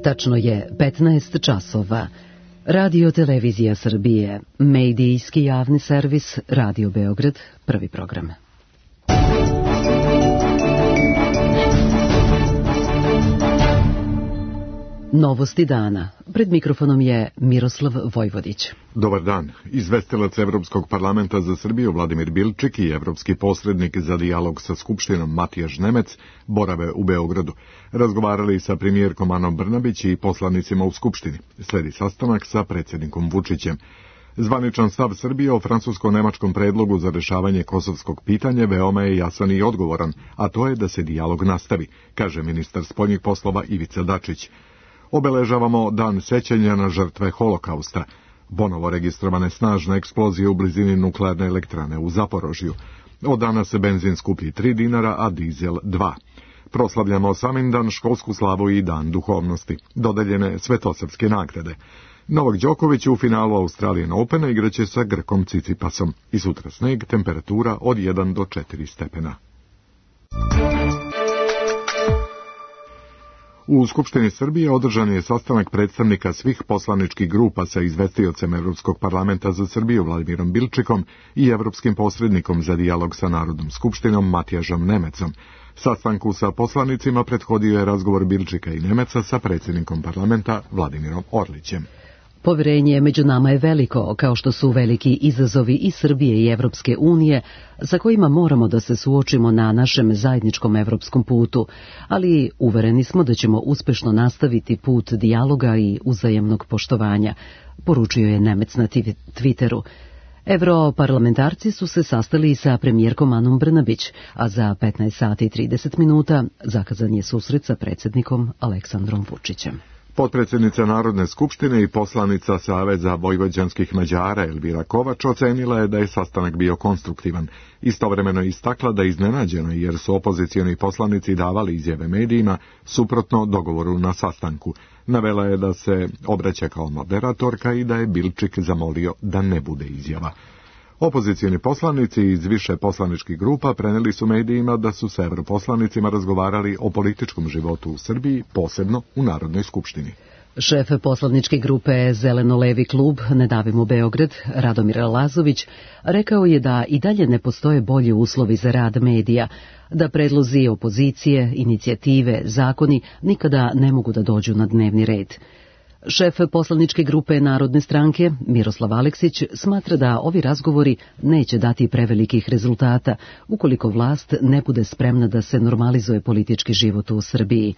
Tačno je 15 časova. Radio Televizija Srbije, medijski javni servis Radio Beograd, prvi program. Novosti dana. Pred mikrofonom je Miroslav Vojvodić. Dobar dan. Izvestilac Evropskog parlamenta za Srbiju Vladimir Bilčik i evropski posrednik za dijalog sa Skupštinom Matijaš Nemec borave u Beogradu. Razgovarali sa premijerkom Anom Brnabić i poslanicima u Skupštini. Sledi sastanak sa predsjednikom Vučićem. Zvaničan stav Srbije o francusko-nemačkom predlogu za rešavanje kosovskog pitanja veoma je jasan i odgovoran, a to je da se dijalog nastavi, kaže ministar spoljnih poslova Ivica Dačić. Obeležavamo dan sećanja na žrtve Holokausta. Ponovo registrovane snažne eksplozije u blizini nuklearne elektrane u Zaporožju. Od dana se benzin skuplji 3 dinara, a dizel 2. Proslavljamo Samindan, školsku slavu i dan duhovnosti. Dodeljene svetosrpske nagrade. Novak Đoković u finalu Australian Opena igraće sa Grkom Cicipasom. I sutra sneg, temperatura od 1 do 4 stepena. U Skupštini Srbije održan je sastanak predstavnika svih poslaničkih grupa sa izvestiocem Evropskog parlamenta za Srbiju Vladimirom Bilčikom i evropskim posrednikom za dijalog sa Narodnom skupštinom Matijažom Nemecom. Sastanku sa poslanicima prethodio je razgovor Bilčika i Nemeca sa predsjednikom parlamenta Vladimirom Orlićem. Poverenje među nama je veliko, kao što su veliki izazovi i Srbije i Evropske unije, sa kojima moramo da se suočimo na našem zajedničkom evropskom putu, ali uvereni smo da ćemo uspešno nastaviti put dijaloga i uzajamnog poštovanja, poručio je Nemec na Twitteru. Europarlamentarci su se sastali sa premijerkom Anom Brnabić, a za 15 sati i 30 minuta zakazan je susret sa predsjednikom Aleksandrom Vučićem. Potpredsjednica Narodne skupštine i poslanica Saveza vojvođanskih Mađara Elvira Kovač ocenila je da je sastanak bio konstruktivan. Istovremeno je istakla da je iznenađena jer su opozicioni poslanici davali izjave medijima suprotno dogovoru na sastanku. Navela je da se obraća kao moderatorka i da je Bilčik zamolio da ne bude izjava. Opozicioni poslanici iz više poslaničkih grupa preneli su medijima da su sa europoslanicima razgovarali o političkom životu u Srbiji, posebno u Narodnoj skupštini. Šef poslaničke grupe Zeleno-levi klub Ne davimo Beograd, Radomir Lazović, rekao je da i dalje ne postoje bolji uslovi za rad medija, da predlozi opozicije, inicijative, zakoni nikada ne mogu da dođu na dnevni red. Šef poslaničke grupe Narodne stranke, Miroslav Aleksić, smatra da ovi razgovori neće dati prevelikih rezultata ukoliko vlast ne bude spremna da se normalizuje politički život u Srbiji.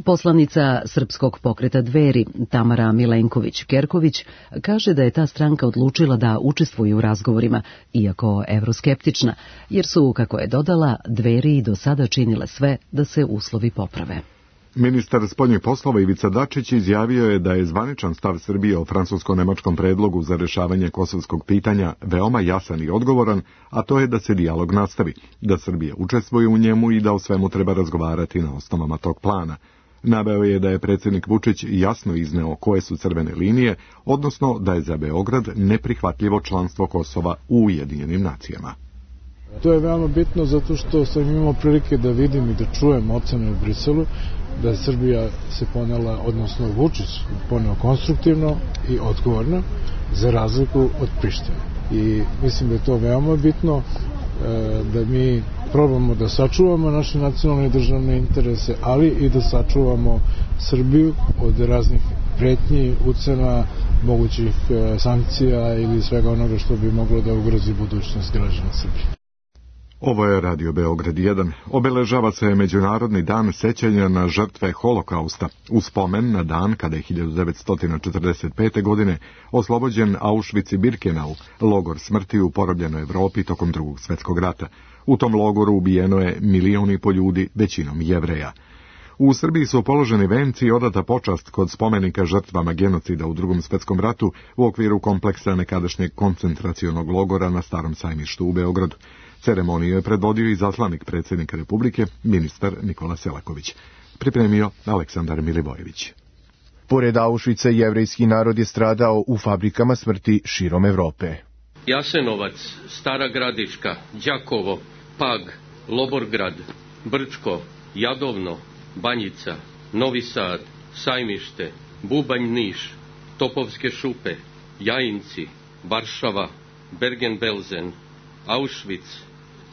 Poslanica Srpskog pokreta Dveri, Tamara Milenković-Kerković, kaže da je ta stranka odlučila da učestvuje u razgovorima, iako evroskeptična, jer su, kako je dodala, Dveri do sada činile sve da se uslovi poprave. Ministar spoljnih poslova Ivica Dačić izjavio je da je zvaničan stav Srbije o francusko-nemačkom predlogu za rešavanje kosovskog pitanja veoma jasan i odgovoran, a to je da se dijalog nastavi, da Srbija učestvuje u njemu i da o svemu treba razgovarati na osnovama tog plana. Naveo je da je predsjednik Vučić jasno izneo koje su crvene linije, odnosno da je za Beograd neprihvatljivo članstvo Kosova u Ujedinjenim nacijama. To je veoma bitno zato što sam imao prilike da vidim i da čujem ocene u Briselu, da je Srbija se ponela, odnosno Vučić poneo konstruktivno i odgovorno, za razliku od Prištine. I mislim da je to veoma bitno, da mi probamo da sačuvamo naše nacionalne i državne interese, ali i da sačuvamo Srbiju od raznih pretnji, ucena, mogućih sankcija ili svega onoga što bi moglo da ugrozi budućnost građana Srbije. Ovo je Radio Beograd 1. Obeležava se Međunarodni dan sećanja na žrtve Holokausta, u spomen na dan kada je 1945. godine oslobođen Auschwitz i Birkenau, logor smrti u porobljenoj Evropi tokom Drugog svjetskog rata. U tom logoru ubijeno je 1,5 miliona ljudi, većinom Jevreja. U Srbiji su položeni venci i odata počast kod spomenika žrtvama genocida u Drugom svjetskom ratu u okviru kompleksa nekadašnjeg koncentracionog logora na Starom sajmištu u Beogradu. Ceremoniju je predvodio i zaslanik predsjednika Republike, ministar Nikola Selaković. Pripremio Aleksandar Milivojević. Pored Auschwitza, jevrejski narod je stradao u fabrikama smrti širom Evrope. Jasenovac, Stara Gradiška, Đakovo, Pag, Loborgrad, Brčko, Jadovno, Banjica, Novi Sad, Sajmište, Bubanj, Niš, Topovske šupe, Jajinci, Varšava, Bergen-Belsen, Auschwitz,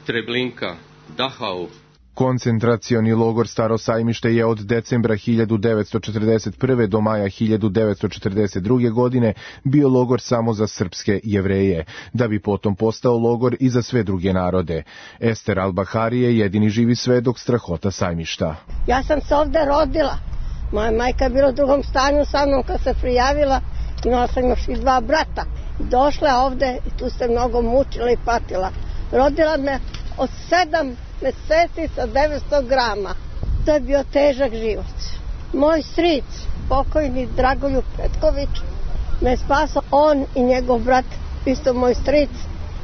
Treblinka, Dachau. Koncentracioni logor Staro Sajmište je od decembra 1941. do maja 1942. godine bio logor samo za srpske Jevreje, da bi potom postao logor i za sve druge narode. Ester Al-Bahari je jedini živi svedok strahota Sajmišta. Ja sam se ovde rodila. Moja majka je bila u drugom stanju sa mnom kad se prijavila. Imala sam još i 2 brata. Došla ovde i tu se mnogo mučila i patila. Rodila me od 7 meseci sa 900 grama. To je bio težak život. Moj stric, pokojni Dragoljub Petković, me spasao. On i njegov brat, isto moj stric.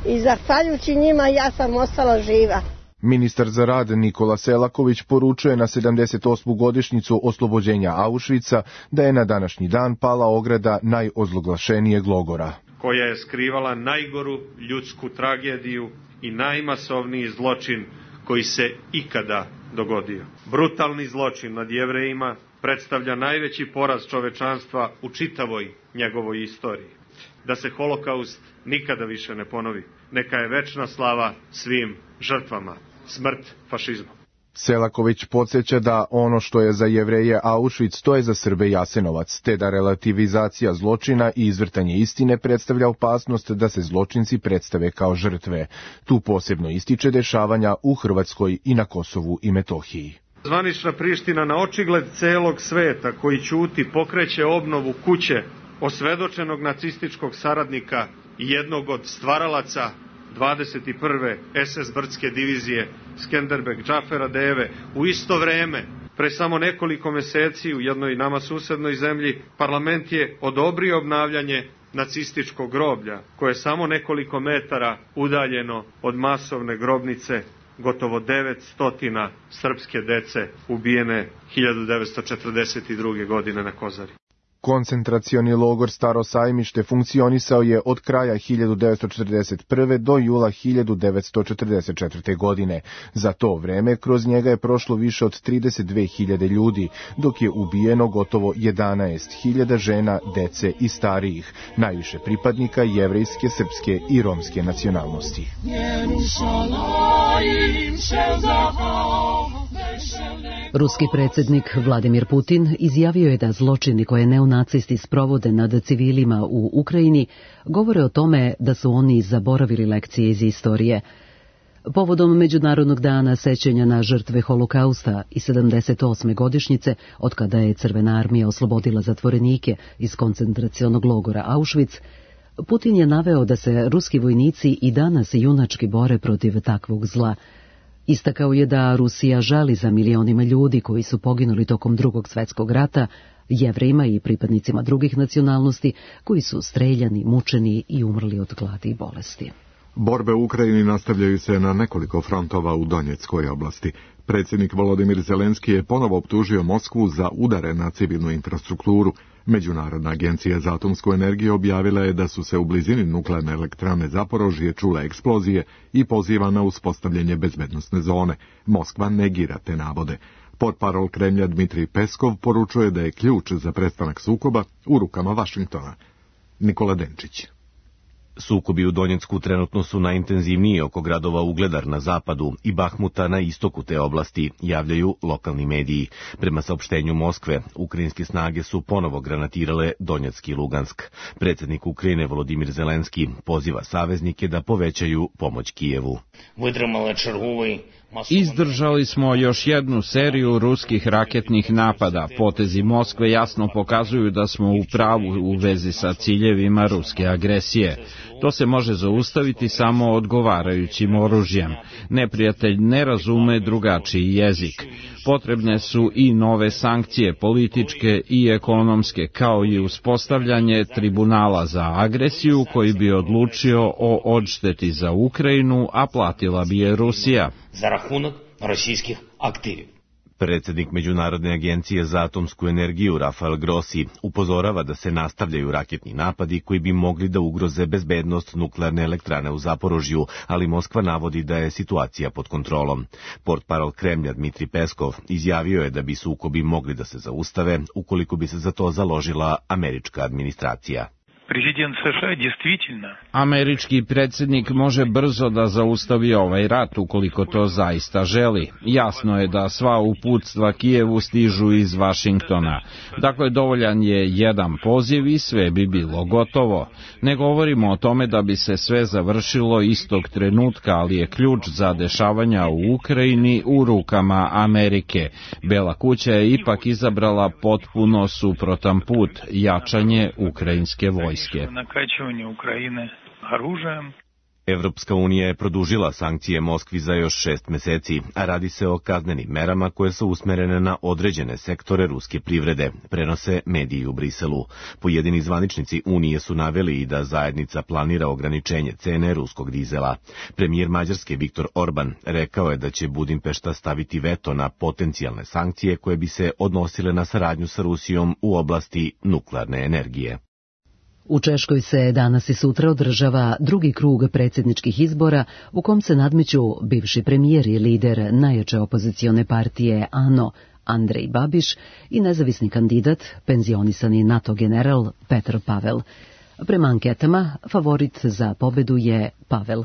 I zahvaljujući njima ja sam ostala živa. Ministar za rad Nikola Selaković poručuje na 78. godišnjicu oslobođenja Auschwitza da je na današnji dan pala ograda najozloglašenijeg logora, koja je skrivala najgoru ljudsku tragediju i najmasovniji zločin koji se ikada dogodio. Brutalni zločin nad Jevrejima predstavlja najveći poraz čovečanstva u čitavoj njegovoj istoriji. Da se holokaust nikada više ne ponovi. Neka je večna slava svim žrtvama. Smrt fašizmu. Selaković podsjeća da ono što je za Jevreje Auschwitz, to je za Srbe Jasenovac, te da relativizacija zločina i izvrtanje istine predstavlja opasnost da se zločinci predstave kao žrtve. Tu posebno ističe dešavanja u Hrvatskoj i na Kosovu i Metohiji. Zvanična Priština na očigled celog sveta koji ćuti pokreće obnovu kuće osvedočenog nacističkog saradnika i jednog od stvaralaca 21. SS Brdske divizije Skenderbeg Džafera Deve. U isto vreme, pre samo nekoliko meseci u jednoj nama susednoj zemlji, parlament je odobrio obnavljanje nacističkog groblja, koje je samo nekoliko metara udaljeno od masovne grobnice gotovo 900 srpske dece ubijene 1942. godine na Kozari. Koncentracioni logor Staro Sajmište funkcionisao je od kraja 1941. do jula 1944. godine. Za to vreme kroz njega je prošlo više od 32.000 ljudi, dok je ubijeno gotovo 11.000 žena, dece i starijih, najviše pripadnika jevrejske, srpske i romske nacionalnosti. Ruski predsjednik Vladimir Putin izjavio je da zločini koje neonacisti sprovode nad civilima u Ukrajini govore o tome da su oni zaboravili lekcije iz istorije. Povodom Međunarodnog dana sećanja na žrtve Holokausta i 78. godišnjice, od kada je Crvena armija oslobodila zatvorenike iz koncentracionog logora Auschwitz, Putin je naveo da se ruski vojnici i danas junački bore protiv takvog zla. Istakao je da Rusija žali za milionima ljudi koji su poginuli tokom Drugog svjetskog rata, Jevrejima i pripadnicima drugih nacionalnosti koji su streljani, mučeni i umrli od gladi i bolesti. Borbe u Ukrajini nastavljaju se na nekoliko frontova u Donjeckoj oblasti. Predsjednik Volodimir Zelenski je ponovo optužio Moskvu za udare na civilnu infrastrukturu. Međunarodna agencija za atomsku energiju objavila je da su se u blizini nuklearne elektrane Zaporožje čule eksplozije i poziva na uspostavljanje bezbednosne zone. Moskva negira te navode. Portparol Kremlja Dmitrij Peskov poručuje da je ključ za prestanak sukoba u rukama Vašingtona. Nikola Denčić. Sukobi u Donjecku trenutno su najintenzivniji oko gradova Ugledar na zapadu i Bahmuta na istoku te oblasti, javljaju lokalni mediji. Prema saopštenju Moskve, ukrajinske snage su ponovo granatirale Donjeck i Lugansk. Predsjednik Ukrajine Volodimir Zelenski poziva saveznike da povećaju pomoć Kijevu. Izdržali smo još jednu seriju ruskih raketnih napada. Potezi Moskve jasno pokazuju da smo u pravu u vezi sa ciljevima ruske agresije. To se može zaustaviti samo odgovarajućim oružjem. Neprijatelj ne razume drugačiji jezik. Potrebne su i nove sankcije, političke i ekonomske, kao i uspostavljanje tribunala za agresiju koji bi odlučio o odšteti za Ukrajinu, a platila bi je Rusija. Za račun ruskih aktiva. Predsjednik Međunarodne agencije za atomsku energiju Rafael Grossi upozorava da se nastavljaju raketni napadi koji bi mogli da ugroze bezbednost nuklearne elektrane u Zaporožju, ali Moskva navodi da je situacija pod kontrolom. Portparol Kremlja Dmitri Peskov izjavio je da bi sukobi mogli da se zaustave ukoliko bi se za to založila američka administracija. Američki predsjednik može brzo da zaustavi ovaj rat ukoliko to zaista želi. Jasno je da sva uputstva Kijevu stižu iz Vašingtona. Dakle, dovoljan je jedan poziv i sve bi bilo gotovo. Ne govorimo o tome da bi se sve završilo istog trenutka, ali je ključ za dešavanja u Ukrajini u rukama Amerike. Bela kuća je ipak izabrala potpuno suprotan put, jačanje ukrajinske vojske. Evropska unija je produžila sankcije Moskvi za još 6 meseci, a radi se o kaznenim merama koje su usmerene na određene sektore ruske privrede, prenose mediji u Briselu. Pojedini zvaničnici Unije su naveli i da zajednica planira ograničenje cene ruskog dizela. Premijer Mađarske Viktor Orban rekao je da će Budimpešta staviti veto na potencijalne sankcije koje bi se odnosile na saradnju sa Rusijom u oblasti nuklearne energije. U Češkoj se danas i sutra održava drugi krug predsjedničkih izbora u kom se nadmeću bivši premijer i lider najjače opozicione partije ANO Andrej Babiš i nezavisni kandidat, penzionisani NATO general Petr Pavel. Prema anketama, favorit za pobedu je Pavel.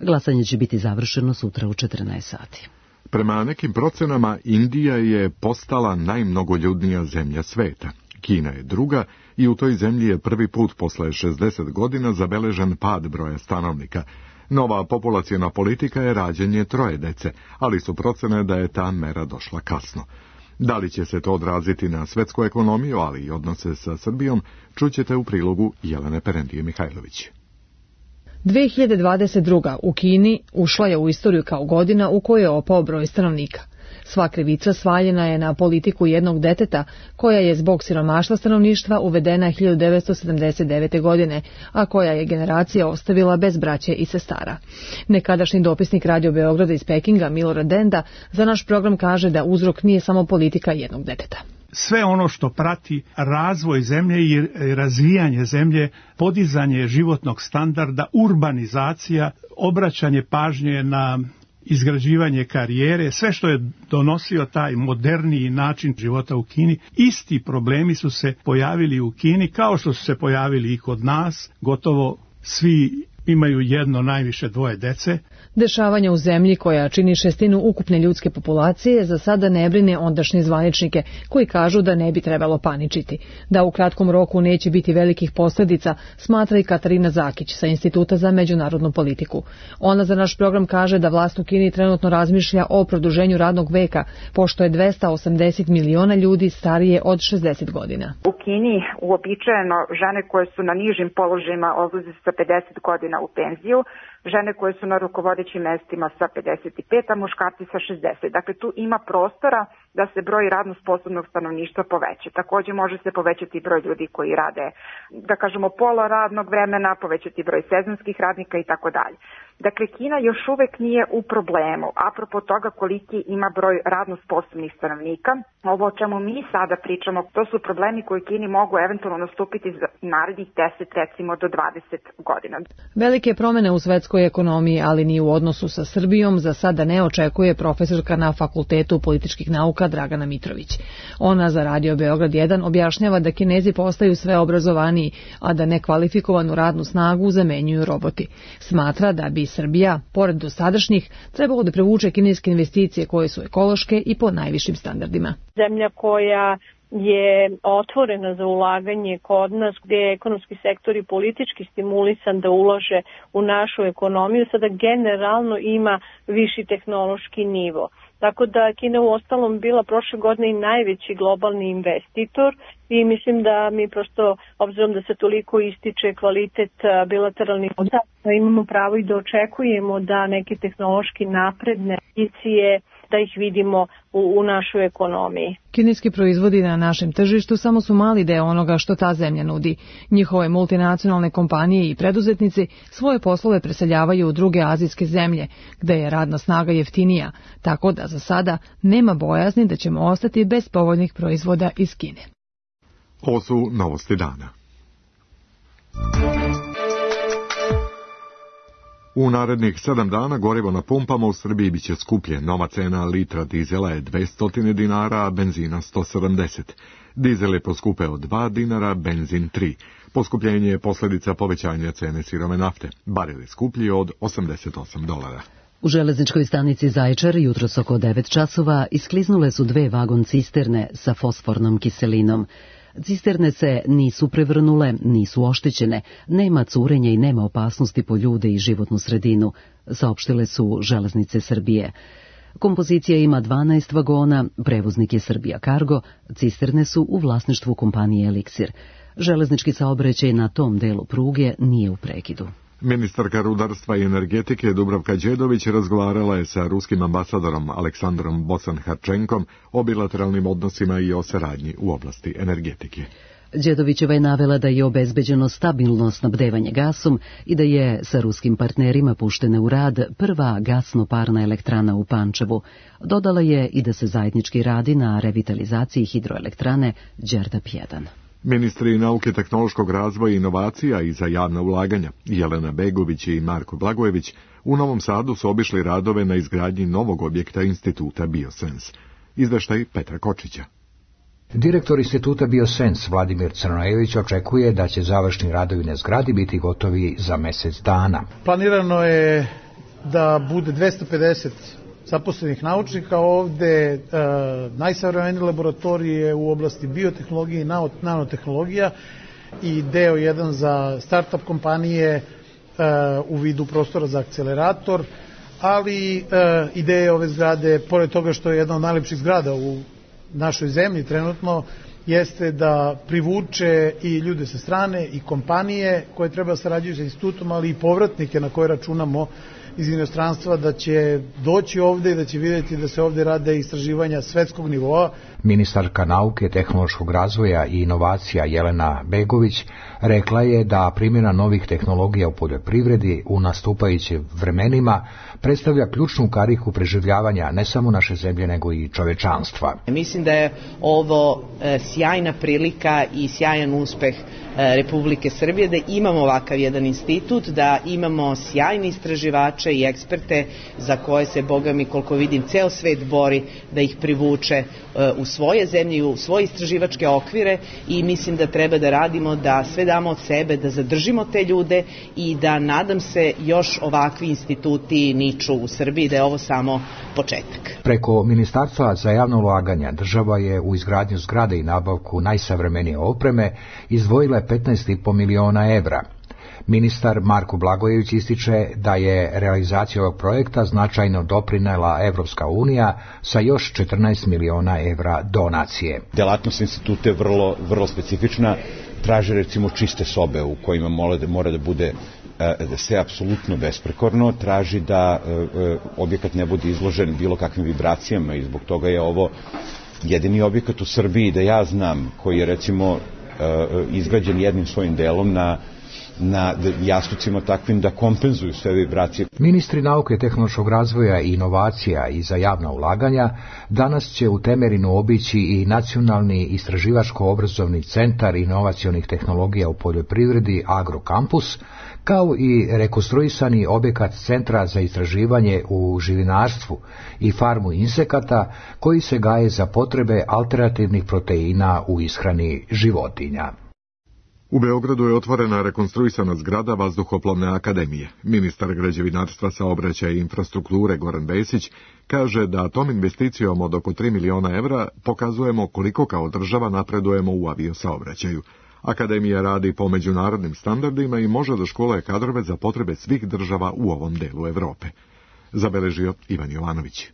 Glasanje će biti završeno sutra u 14 sati. Prema nekim procenama, Indija je postala najmnogoljudnija zemlja sveta. Kina je druga i u toj zemlji je prvi put posle 60 godina zabeležen pad broja stanovnika. Nova populaciona politika je rađanje 3 dece, ali su procene da je ta mera došla kasno. Da li će se to odraziti na svetsku ekonomiju, ali i odnose sa Srbijom, čućete u prilogu Jelene Perendije Mihajlović. 2022. u Kini ušla je u istoriju kao godina u kojoj je opao broj stanovnika. Sva krivica svaljena je na politiku jednog deteta, koja je zbog siromaštva stanovništva uvedena 1979. godine, a koja je generacija ostavila bez braće i sestara. Nekadašnji dopisnik Radio Beograda iz Pekinga, Milorad Denda, za naš program kaže da uzrok nije samo politika jednog deteta. Sve ono što prati razvoj zemlje i razvijanje zemlje, podizanje životnog standarda, urbanizacija, obraćanje pažnje na izgrađivanje karijere, sve što je donosio taj moderniji način života u Kini, isti problemi su se pojavili u Kini kao što su se pojavili i kod nas, gotovo svi imaju jedno, najviše 2 dece. Dešavanja u zemlji koja čini 1/6 ukupne ljudske populacije za sada ne brine ondašnje zvaničnike koji kažu da ne bi trebalo paničiti. Da u kratkom roku neće biti velikih posljedica, smatra i Katarina Zakić sa Instituta za međunarodnu politiku. Ona za naš program kaže da vlast u Kini trenutno razmišlja o produženju radnog veka, pošto je 280 miliona ljudi starije od 60 godina. U Kini uobičajeno žene koje su na nižim položajima odlaze sa 50 godina u penziju, žene koje su na rukovodećim mestima sa 55, a muškarci sa 60. Dakle, tu ima prostora da se broj radno sposobnog stanovništva poveća. Također može se povećati broj ljudi koji rade, da kažemo, pola radnog vremena, povećati broj sezonskih radnika i tako dalje. Dakle, Kina još uvek nije u problemu, apropo toga koliki ima broj radno sposobnih stanovnika. Ovo o čemu mi sada pričamo, to su problemi koji Kini mogu eventualno nastupiti za narednih 10, recimo do 20 godina. Velike promene u svetskoj ekonomiji, ali ni u odnosu sa Srbijom, za sada ne očekuje profesorka na Fakultetu političkih nauka Dragana Mitrović. Ona za Radio Beograd 1 objašnjava da Kinezi postaju sve obrazovaniji, a da nekvalifikovanu radnu snagu zamenjuju roboti. Smatra da bi Srbija, pored dosadašnjih, trebalo da privuče kineske investicije koje su ekološke i po najvišim standardima. Zemlja koja je otvorena za ulaganje kod nas, gdje je ekonomski sektor i politički stimulisan da ulaže u našu ekonomiju, sada generalno ima viši tehnološki nivo. Tako da Kina u ostalom bila prošle godine i najveći globalni investitor i mislim da mi prosto, obzirom da se toliko ističe kvalitet bilateralnih odnosa, imamo pravo i da očekujemo da neke tehnološki napredne investicije da ih vidimo u našoj ekonomiji. Kineski proizvodi na našem tržištu samo su mali deo onoga što ta zemlja nudi. Njihove multinacionalne kompanije i preduzetnici svoje poslove preseljavaju u druge azijske zemlje, gde je radna snaga jeftinija, tako da za sada nema bojazni da ćemo ostati bez povoljnih proizvoda iz Kine. Ovo su novosti dana. U narednih 7 dana gorivo na pumpama u Srbiji biće skuplje. Nova cena litra dizela je 200 dinara, a benzina 170. Dizel je poskupeo 2 dinara, benzin 3. Poskupljenje je posljedica povećanja cene sirove nafte. Barel je skuplji od $88. U železničkoj stanici Zaječar jutros oko 9 časova iskliznule su 2 vagon cisterne sa fosfornom kiselinom. Cisterne se nisu prevrnule, nisu oštećene, nema curenja i nema opasnosti po ljude i životnu sredinu, saopštile su Železnice Srbije. Kompozicija ima 12 vagona, prevoznik je Srbija Cargo, cisterne su u vlasništvu kompanije Eliksir. Železnički saobraćaj na tom delu pruge nije u prekidu. Ministarka rudarstva i energetike Dubravka Đedović razgovarala je sa ruskim ambasadorom Aleksandrom Bosanharčenkom o bilateralnim odnosima i o saradnji u oblasti energetike. Đedovićeva je navela da je obezbeđeno stabilno snabdevanje gasom i da je sa ruskim partnerima puštena u rad prva gasno-parna elektrana u Pančevu. Dodala je i da se zajednički radi na revitalizaciji hidroelektrane Đerdap 1. Ministri nauke, tehnološkog razvoja i inovacija i za javna ulaganja Jelena Begović i Marko Blagojević u Novom Sadu su obišli radove na izgradnji novog objekta Instituta Biosens. Izveštaj Petra Kočića. Direktor Instituta Biosens Vladimir Crnojević očekuje da će završni radovi na zgradi biti gotovi za mjesec dana. Planirano je da bude 250 zaposlenih naučnika ovde, najsavremenije laboratorije u oblasti biotehnologije i nanotehnologija i deo jedan za start-up kompanije u vidu prostora za akcelerator, ali ideja ove zgrade, pored toga što je jedna od najlepših zgrada u našoj zemlji trenutno, jeste da privuče i ljude sa strane i kompanije koje treba sarađuju sa institutom, ali i povratnike na koje računamo iz inostranstva, da će doći ovde i da će vidjeti da se ovde rade istraživanja svetskog nivoa. Ministarka nauke, tehnološkog razvoja i inovacija Jelena Begović rekla je da primjena novih tehnologija u poljoprivredi u nastupajućim vremenima predstavlja ključnu kariku preživljavanja ne samo naše zemlje nego i čovečanstva. Mislim da je ovo sjajna prilika i sjajan uspeh Republike Srbije da imamo ovakav jedan institut, da imamo sjajne istraživače i eksperte za koje se, boga mi, koliko vidim, ceo svet bori da ih privuče u svoje zemlje, u svoje istraživačke okvire i mislim da treba da radimo, da sve damo od sebe, da zadržimo te ljude i da, nadam se, još ovakvi instituti niču u Srbiji, da je ovo samo početak. Preko Ministarstva za javna ulaganja država je u izgradnju zgrade i nabavku najsavremenije opreme izdvojila 15,5 miliona evra. Ministar Marko Blagojević ističe da je realizacija ovog projekta značajno doprinela Evropska unija sa još 14 miliona evra donacije. Delatnost instituta je vrlo specifična, traži recimo čiste sobe u kojima mora da bude sve apsolutno besprekorno, traži da objekat ne bude izložen bilo kakvim vibracijama i zbog toga je ovo jedini objekat u Srbiji da ja znam koji je recimo izgrađen jednim svojim delom na jastucima takvim da kompenzuju sve vibracije. Ministri nauke, tehnološkog razvoja i inovacija i za javna ulaganja danas će u Temerinu obići i Nacionalni istraživačko-obrazovni centar inovacionih tehnologija u poljoprivredi Agrokampus, kao i rekonstruisani objekat Centra za istraživanje u živinarstvu i farmu insekata koji se gaje za potrebe alternativnih proteina u ishrani životinja. U Beogradu je otvorena rekonstruisana zgrada Vazduhoplovne akademije. Ministar građevinarstva, saobraćaja i infrastrukture Goran Vesić kaže da tom investicijom od oko 3 miliona evra pokazujemo koliko kao država napredujemo u aviosaobraćaju. Akademija radi po međunarodnim standardima i može da školuje kadrove za potrebe svih država u ovom delu Evrope. Zabeležio Ivan Jovanović.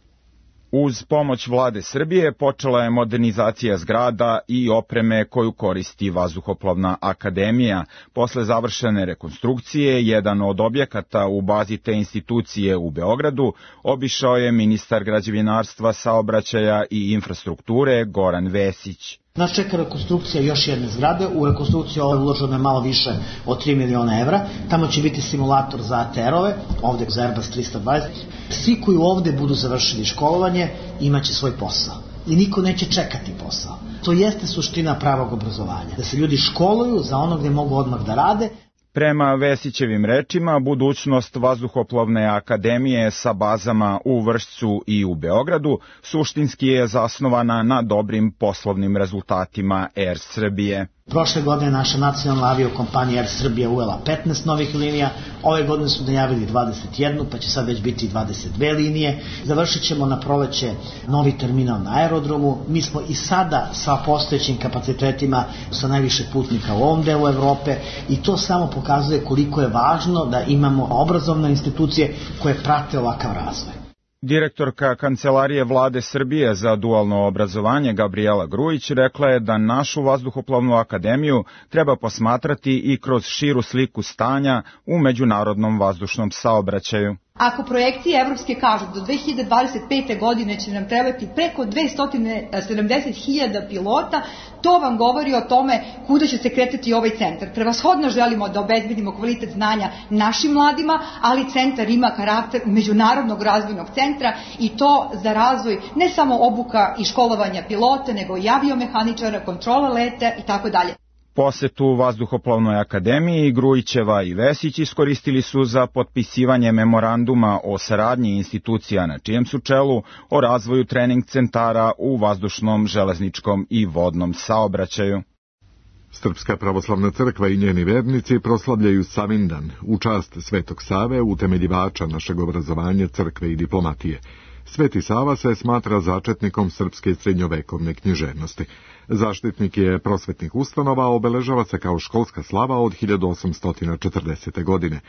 Uz pomoć vlade Srbije počela je modernizacija zgrada i opreme koju koristi Vazduhoplovna akademija. Posle završene rekonstrukcije, jedan od objekata u bazi te institucije u Beogradu obišao je ministar građevinarstva, saobraćaja i infrastrukture Goran Vesić. Nas čeka rekonstrukcija još jedne zgrade. U rekonstrukciju ovo je uloženo je malo više od 3 miliona evra. Tamo će biti simulator za ATR-ove, ovde za Airbus 320. Svi koji ovde budu završili školovanje imaće svoj posao. I niko neće čekati posao. To jeste suština pravog obrazovanja. Da se ljudi školuju za ono gde mogu odmah da rade. Prema Vesićevim rečima, budućnost Vazduhoplovne akademije sa bazama u Vršcu i u Beogradu suštinski je zasnovana na dobrim poslovnim rezultatima Air Srbije. Prošle godine naša nacionalna aviokompanija Air Srbija uvela 15 novih linija, ove godine su najavili 21, pa će sad već biti 22 linije. Završit ćemo na proleće novi terminal na aerodromu. Mi smo i sada sa postojećim kapacitetima sa najviše putnika u ovom delu Evrope i to samo pokazuje koliko je važno da imamo obrazovne institucije koje prate ovakav razvoj. Direktorka Kancelarije vlade Srbije za dualno obrazovanje Gabriela Grujić rekla je da našu Vazduhoplovnu akademiju treba posmatrati i kroz širu sliku stanja u međunarodnom vazdušnom saobraćaju. Ako projekcije evropske kažu do 2025. godine će nam trebati preko 270.000 pilota, to vam govori o tome kuda će se kretati ovaj centar. Prevashodno želimo da obezbedimo kvalitet znanja našim mladima, ali centar ima karakter međunarodnog razvojnog centra i to za razvoj ne samo obuka i školovanja pilota, nego i aviomehaničara, kontrola leta i tako dalje. Posetu Vazduhoplovnoj akademiji Grujićeva i Vesić iskoristili su za potpisivanje memoranduma o saradnji institucija na čijem su čelu o razvoju trening centara u vazdušnom, železničkom i vodnom saobraćaju. Srpska pravoslavna crkva i njeni vernici proslavljaju Savindan u čast Svetog Save, utemeljivača našeg obrazovanja, crkve i diplomatije. Sveti Sava se smatra začetnikom srpske srednjovekovne književnosti. Zaštitnik je prosvetnih ustanova, obeležava se kao školska slava od 1840. godine.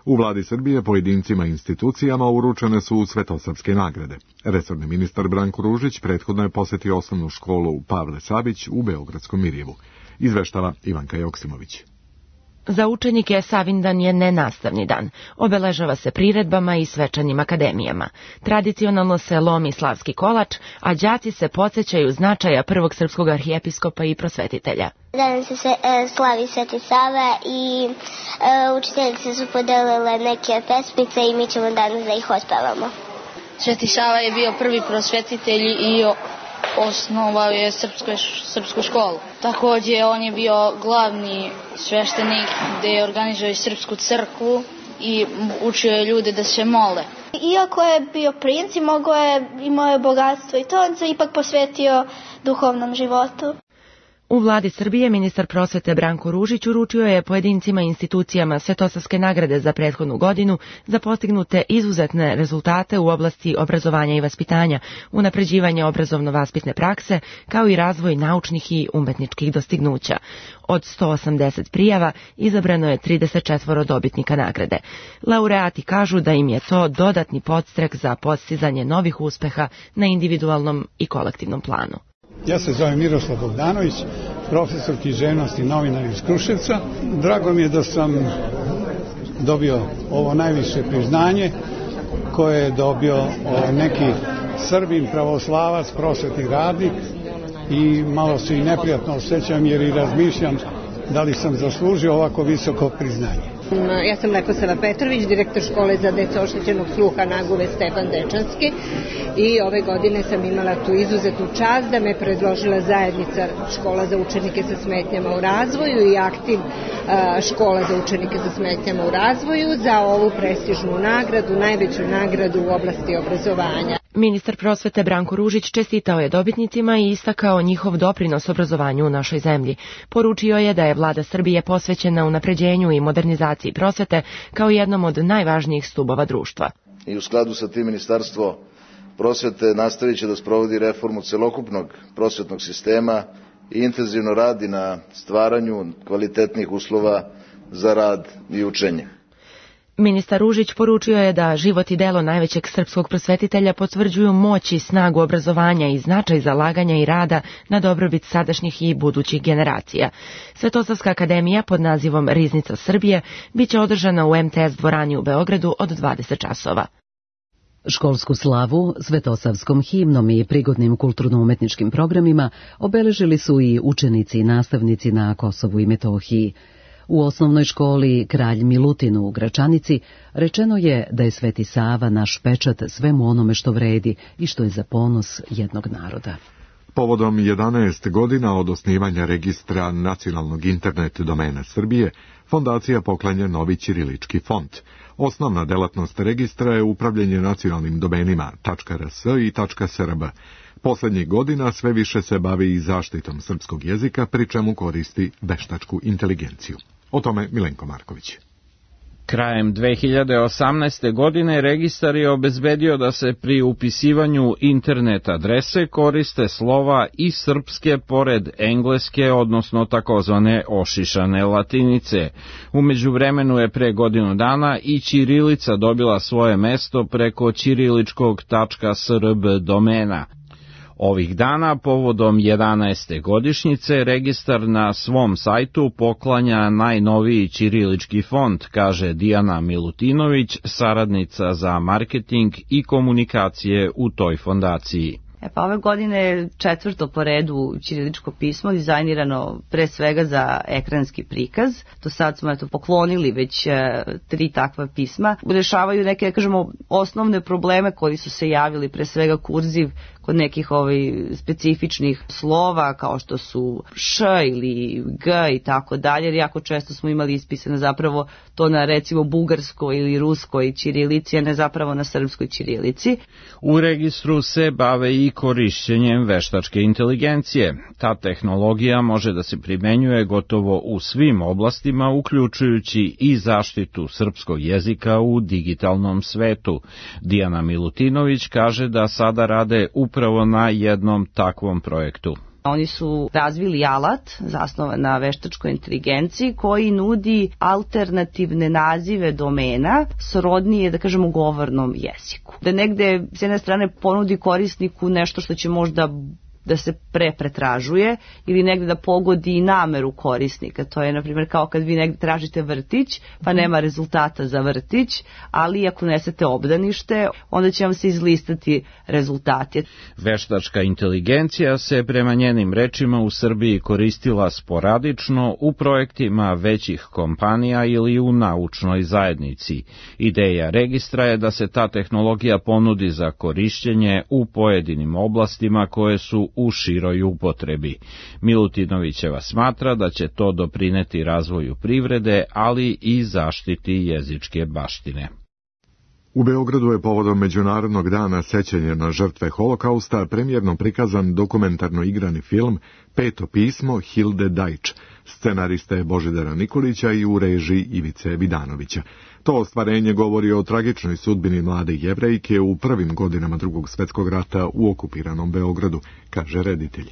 U vladi Srbije pojedincima i institucijama uručene su svetosavske nagrade. Resorni ministar Branko Ružić prethodno je posetio osnovnu školu Pavle Savić u Beogradskom Mirjevu. Izveštava Ivanka Joksimović. Za učenike Savindan je nenastavni dan. Obeležava se priredbama i svečanim akademijama. Tradicionalno se lomi slavski kolač, a đaci se podsjećaju značaja prvog srpskog arhijepiskopa i prosvetitelja. Danas se slavi Sveti Sava i učiteljice su podelile neke pesmice i mi ćemo danas da ih ospevamo. Sveti Sava je bio prvi prosvetitelj i osnovao je srpsku školu. Takođe, on je bio glavni sveštenik gde je organizovao srpsku crkvu i učio je ljude da se mole. Iako je bio princ i imao je bogatstvo i to, on se ipak posvetio duhovnom životu. U vladi Srbije ministar prosvete Branko Ružić uručio je pojedincima i institucijama svetosavske nagrade za prethodnu godinu za postignute izuzetne rezultate u oblasti obrazovanja i vaspitanja, unapređivanje obrazovno-vaspitne prakse, kao i razvoj naučnih i umetničkih dostignuća. Od 180 prijava izabrano je 34 dobitnika nagrade. Laureati kažu da im je to dodatni podstrek za postizanje novih uspeha na individualnom i kolektivnom planu. Ja se zovem Miroslav Bogdanović, profesor književnosti i novinar iz Kruševca. Drago mi je da sam dobio ovo najviše priznanje koje je dobio neki Srbin, pravoslavac, prosvetni radnik i malo se i neprijatno osjećam jer i razmišljam da li sam zaslužio ovako visoko priznanje. Ja sam Leposava Petrović, direktor škole za decu oštećenog sluha Naguve Stefan Dečanski i ove godine sam imala tu izuzetnu čast da me predložila zajednica škola za učenike sa smetnjama u razvoju i aktiv škola za učenike sa smetnjama u razvoju za ovu prestižnu nagradu, najveću nagradu u oblasti obrazovanja. Ministar prosvete Branko Ružić čestitao je dobitnicima i istakao njihov doprinos obrazovanju u našoj zemlji. Poručio je da je vlada Srbije posvećena unapređenju i modernizaciji prosvete kao jednom od najvažnijih stubova društva. I u skladu sa tim Ministarstvo prosvete nastavit će da sprovodi reformu celokupnog prosvetnog sistema i intenzivno radi na stvaranju kvalitetnih uslova za rad i učenje. Ministar Ružić poručio je da život i delo najvećeg srpskog prosvetitelja potvrđuju moć i snagu obrazovanja i značaj zalaganja i rada na dobrobit sadašnjih i budućih generacija. Svetosavska akademija pod nazivom Riznica Srbije biće održana u MTS dvorani u Beogradu od 20 časova. Školsku slavu svetosavskom himnom i prigodnim kulturno-umetničkim programima obeležili su i učenici i nastavnici na Kosovu i Metohiji. U osnovnoj školi Kralj Milutin u Gračanici rečeno je da je Sveti Sava naš pečat svemu onome što vredi i što je za ponos jednog naroda. Povodom 11 godina od osnivanja registra nacionalnog internet domena Srbije, fondacija poklanja novi ćirilički font. Osnovna delatnost registra je upravljanje nacionalnim domenima .rs i .srb. Poslednjih godina sve više se bavi i zaštitom srpskog jezika, pri čemu koristi veštačku inteligenciju. O tome Milenko Marković. Krajem 2018. godine registar je obezbedio da se pri upisivanju internet adrese koriste slova i srpske pored engleske, odnosno takozvane ošišane latinice. U međuvremenu je pre godinu dana i ćirilica dobila svoje mesto preko ćiriličkog .srb domena. Ovih dana, povodom 11. godišnjice, registar na svom sajtu poklanja najnoviji ćirilički font, kaže Dijana Milutinović, saradnica za marketing i komunikacije u toj fondaciji. Pa ove godine je 4. po redu ćiriličko pismo, dizajnirano pre svega za ekranski prikaz. Do sad smo poklonili već 3 takva pisma. Rešavaju neke, da kažemo, osnovne probleme koji su se javili, pre svega kurziv kod nekih specifičnih slova kao što su š ili g i tako dalje, jer jako često smo imali ispisano zapravo to na recimo bugarskoj ili ruskoj ćirilici, a ne zapravo na srpskoj ćirilici. U registru se bave i korišćenjem veštačke inteligencije. Ta tehnologija može da se primenjuje gotovo u svim oblastima, uključujući i zaštitu srpskog jezika u digitalnom svetu. Dijana Milutinović kaže da sada rade upravo na jednom takvom projektu. Oni su razvili alat zasnovan na veštačkoj inteligenciji koji nudi alternativne nazive domena srodnije, da kažemo, govornom jeziku. Da negde s jedne strane ponudi korisniku nešto što će možda da se pretražuje ili negde da pogodi i nameru korisnika. To je, na primjer, kao kad vi negde tražite vrtić, pa nema rezultata za vrtić, ali ako unesete obdanište, onda će vam se izlistati rezultati. Veštačka inteligencija se prema njenim rečima u Srbiji koristila sporadično u projektima većih kompanija ili u naučnoj zajednici. Ideja registra je da se ta tehnologija ponudi za korišćenje u pojedinim oblastima koje su u široj upotrebi. Milutinovićeva smatra da će to doprineti razvoju privrede, ali i zaštiti jezičke baštine. U Beogradu je povodom Međunarodnog dana sećanja na žrtve Holokausta premijerno prikazan dokumentarno igrani film Peto pismo Hilde Dajč, scenariste Božidara Nikolića i u režiji Ivice Vidanovića. To ostvarenje govori o tragičnoj sudbini mlade Jevrejke u prvim godinama Drugog svjetskog rata u okupiranom Beogradu, kaže reditelj.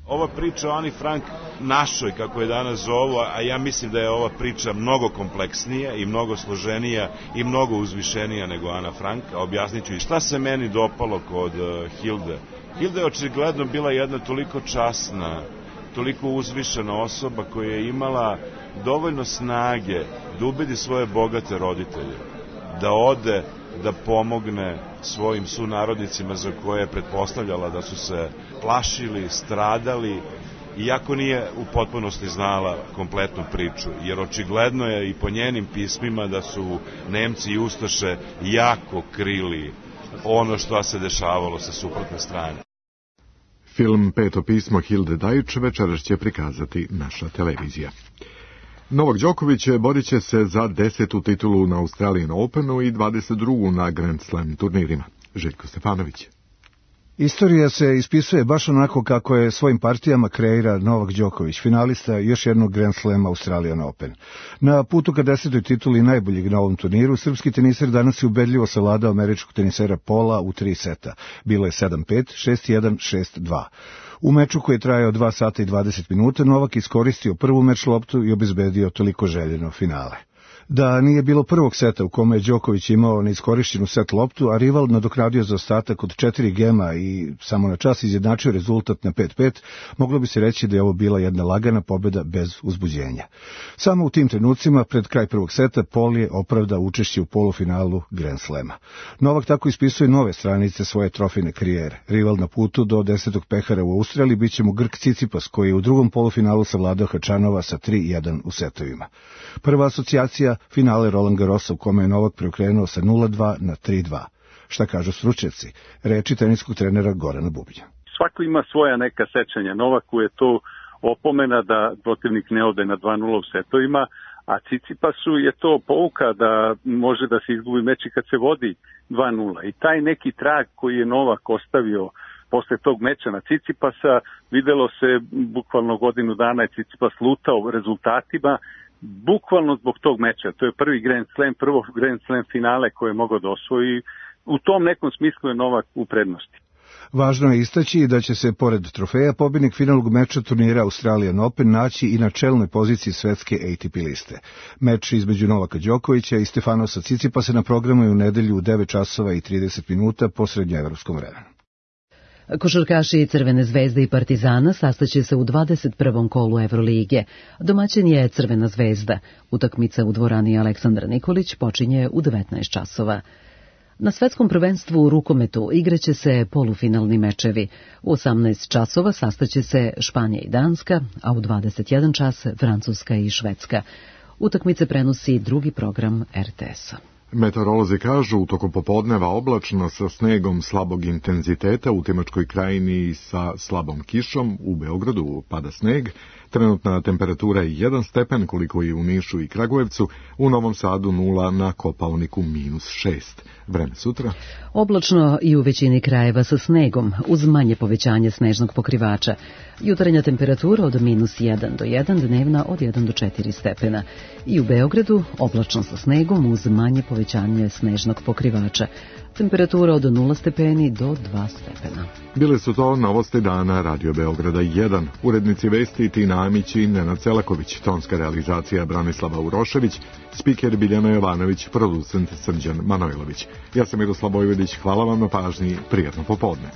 Ova priča o Ani Frank našoj, kako je danas zovu, a ja mislim da je ova priča mnogo kompleksnija i mnogo složenija i mnogo uzvišenija nego Ana Frank, a objasnit ću i šta se meni dopalo kod Hilde. Hilda je očigledno bila jedna toliko časna, toliko uzvišena osoba koja je imala dovoljno snage da ubedi svoje bogate roditelje, da ode, da pomogne svojim sunarodnicima za koje je pretpostavljala da su se plašili, stradali, iako nije u potpunosti znala kompletnu priču, jer očigledno je i po njenim pismima da su Nemci i Ustaše jako krili ono što se dešavalo sa suprotne strane. Film Peto pismo Hilde Dajč večeras će prikazati naša televizija. Novak Đoković borit će se za 10. titulu na Australian Openu i 22. na Grand Slam turnirima. Željko Stefanović. Istorija se ispisuje baš onako kako je svojim partijama kreira Novak Đoković, finalista još jednog Grand Slama Australian Open. Na putu ka 10. tituli najboljeg na ovom turniru, srpski teniser danas je ubedljivo savladao američkog tenisera Pola u 3 seta. Bilo je 7-5, 6-1, 6-2. U meču koji je trajao 2 sata i 20 minuta, Novak iskoristio prvu meč loptu i obezbedio toliko željeno finale. Da nije bilo prvog seta u kome je Đoković imao neiskorišćenu set loptu, a rival nadoknadio zaostatak od 4 gema i samo na čas izjednačio rezultat na 5-5, moglo bi se reći da je ovo bila jedna lagana pobjeda bez uzbuđenja. Samo u tim trenucima, pred kraj prvog seta, Paul je opravdao učešće u polufinalu Grand Slema. Novak tako ispisuje nove stranice svoje trofejne karijere. Rival na putu do 10. pehara u Australiji biće mu Grk Cicipas, koji je u drugom polufinalu savladao Hačanova sa 3-1 u setovima. Prva asocijacija finale Roland Garrosa u kome je Novak preokrenuo sa 0-2 na 3-2. Šta kažu stručnjaci? Reči teniskog trenera Gorana Bubnja. Svako ima svoja neka sećanja. Novaku je to opomena da protivnik ne ode na 2-0 u setovima, a Cicipasu je to pouka da može da se izgubi meč i kad se vodi 2-0. I taj neki trag koji je Novak ostavio posle tog meča na Cicipasa, videlo se bukvalno godinu dana je Cicipas lutao rezultatima, bukvalno zbog tog meča. To je prvi prvo Grand Slam finale koje je mogao da osvoji. U tom nekom smislu je Novak u prednosti. Važno je istaći da će se, pored trofeja, pobjednik finalnog meča turnira Australian Open naći i na čelnoj poziciji svetske ATP liste. Meč između Novaka Đokovića i Stefanosa Cicipasa na programu je u nedelju u 9 časova i 30 minuta po srednjoevropskom vremenu. Košarkaši Crvene zvezde i Partizana sastaće se u 21. kolu Evrolige. Domaćin je Crvena zvezda. Utakmica u dvorani Aleksandra Nikolić počinje u 19 časova. Na svetskom prvenstvu u rukometu igraće se polufinalni mečevi. U 18 časova sastaće se Španija i Danska, a u 21 čas Francuska i Švedska. Utakmice prenosi drugi program RTS-a. Meteorolozi kažu u toku popodneva oblačno sa snegom slabog intenziteta, u Timočkoj krajini sa slabom kišom, u Beogradu pada sneg, trenutna temperatura je 1 stepen koliko je u Nišu i Kragujevcu, u Novom Sadu 0, na Kopaoniku -6. Vreme sutra? Oblačno i u većini krajeva sa snegom, uz manje povećanje snežnog pokrivača. Jutarnja temperatura od -1 do 1, dnevna od 1 do 4 stepena. I u Beogradu oblačno sa snegom uz manje povećanje snežnog pokrivača. Temperatura od 0 stepeni do 2 stepena. Bile su to novosti dana Radio Beograda 1. Urednici vesti Tina Amić i Nenad Celaković, tonska realizacija Branislava Urošević, spiker Biljana Jovanović, producent Srđan Manojlović. Ja sam Miroslav Vojvodić, hvala vam na pažnji, prijatno popodne.